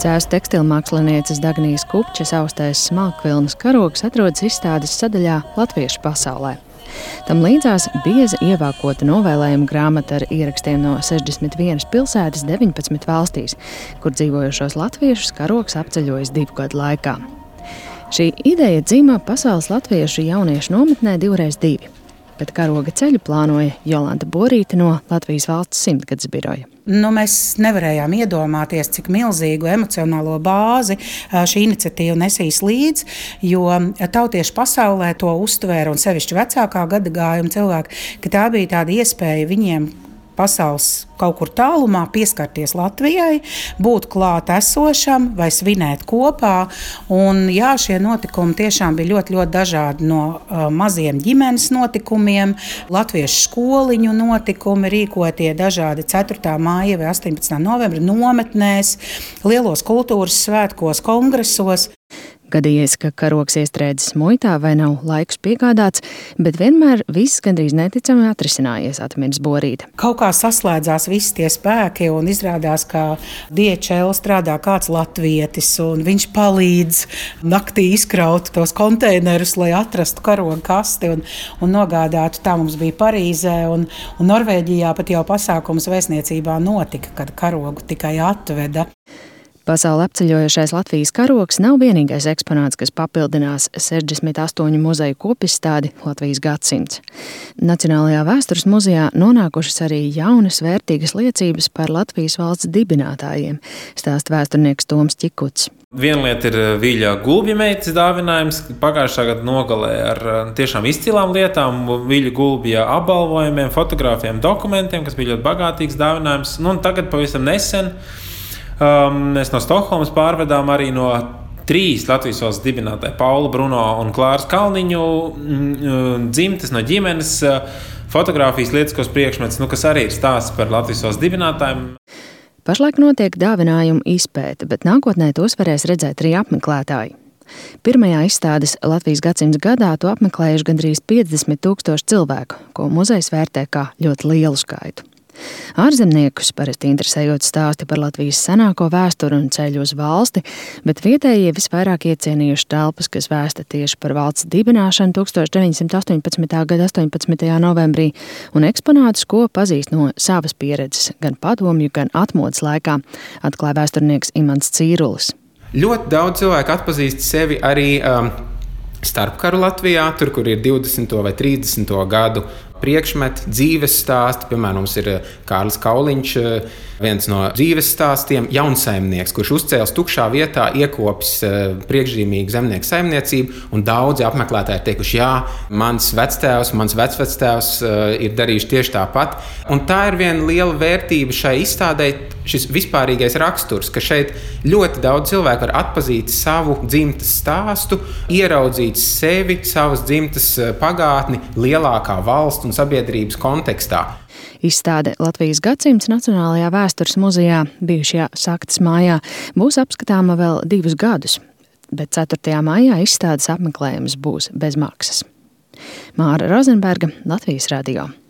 Cēzu tekstilmākslinieces Dagnijas Kupčes austais smalkvilnas karogs atrodas izstādes sadaļā Latviešu pasaulē. Tam līdzās bieza ievākota novēlējuma grāmata ar ierakstiem no 61 pilsētas 19 valstīs, kur dzīvojošos latviešus karogs apceļojis 2 gadu laikā. Šī ideja dzima Pasaules latviešu jauniešu nometnē 2x2, bet karoga ceļu plānoja Jolanta Borīte no Latvijas valsts simtgades biroja. Mēs nevarējām iedomāties, cik milzīgu emocionālo bāzi šī iniciatīva nesīs līdzi, jo tautieši pasaulē to uztvēra, un sevišķi vecākā gadagājuma cilvēki, ka tā bija tāda iespēja viņiem pasaules kaut kur tālumā pieskarties Latvijai, būt klāt esošam vai svinēt kopā. Un, jā, šie notikumi tiešām bija ļoti, ļoti dažādi, no maziem ģimenes notikumiem, latviešu skoliņu notikumi, rīkotie dažādi 4. māja vai 18. novembra nometnēs, lielos kultūras svētkos, kongresos. Gadījies, ka karogs iestrēdzis muitā vai nav laiks piegādāts, bet vienmēr viss gandrīz neticami atrisinājies, atminas Borīte. Kaut kā saslēdzās visi tie spēki un izrādās, ka DHL strādā kāds latvietis un viņš palīdz naktī izkraut tos konteinerus, lai atrastu karoga kasti un nogādātu. Tā mums bija Parīzē un Norvēģijā pat jau pasākums vēstniecībā notika, kad karogu tikai atveda. Pasauli apceļojošais Latvijas karogs nav vienīgais eksponāts, kas papildinās 68 muzeju kopizstādi Latvijas gadsimts. Nacionālajā vēstures muzejā nonākušas arī jaunas vērtīgas liecības par Latvijas valsts dibinātājiem, stāsta vēsturnieks Toms Čikuts. Viena lieta ir Viļa Gulbja meitas dāvinājums pagājušā gada nogalē ar tiešām izcilām lietām, Viļa Gulbja apbalvojumiem, fotogrāfiem, dokumentiem, kas bija ļoti bagātīgs dāvinājums. Un tagad pavisam nesen mēs no Stokholmas pārvedām arī no 3 Latvijas valsts dibinātāji Paula, Bruno un Klāras Kalniņu dzimtes no ģimenes fotogrāfijas lietiskos priekšmetus, kas arī ir stāsts par Latvijas valsts dibinātājiem. Pašlaik notiek dāvinājumu izpēte, bet nākotnē tos varēs redzēt arī apmeklētāji. Pirmajā izstādes Latvijas gadsimta gadā to apmeklējuši gandrīz 50,000 cilvēku, ko muzejs vērtē kā ļoti lielu skaitu. Ārzemniekus parasti interesējot stāsti par Latvijas senāko vēsturi un ceļu uz valsti, bet vietējie visvairāk iecienījuši telpas, kas vēsta tieši par valsts dibināšanu 1918. gada 18. novembrī un eksponātus, ko pazīst no savas pieredzes gan padomju, gan atmodas laikā, atklāja vēsturnieks Imants Cīrulis. Ļoti daudz cilvēku atpazīst sevi arī starpkaru Latvijā, tur, kur ir 20. vai 30. gadu priekšmeti, dzīves stāsti. Piemēram, mums ir Kārlis Kauliņš, viens no dzīves stāstiem, jaunsaimnieks, kurš uzcēlis tukšā vietā, iekopis priekšzīmīgu zemnieku saimniecību, un daudzi apmeklētāji ir teikuši, jā, mans vectēvs, mans vecvectēvs ir darījuši tieši tāpat. Un tā ir viena liela vērtība šai izstādē, šis vispārīgais raksturs, ka šeit ļoti daudz cilvēku var atpazīt savu dzimtes stāstu, ieraudzīt sevi, savas dzimtes pagātni lielākā valsts un sabiedrības kontekstā. Izstāde Latvijas gadsimts Nacionālajā vēstures muzejā bijušajā Saktas mājā būs apskatāma vēl 2 gadus, bet 4. maijā izstādes apmeklējums būs bez maksas. Māra Rozenberga, Latvijas radio.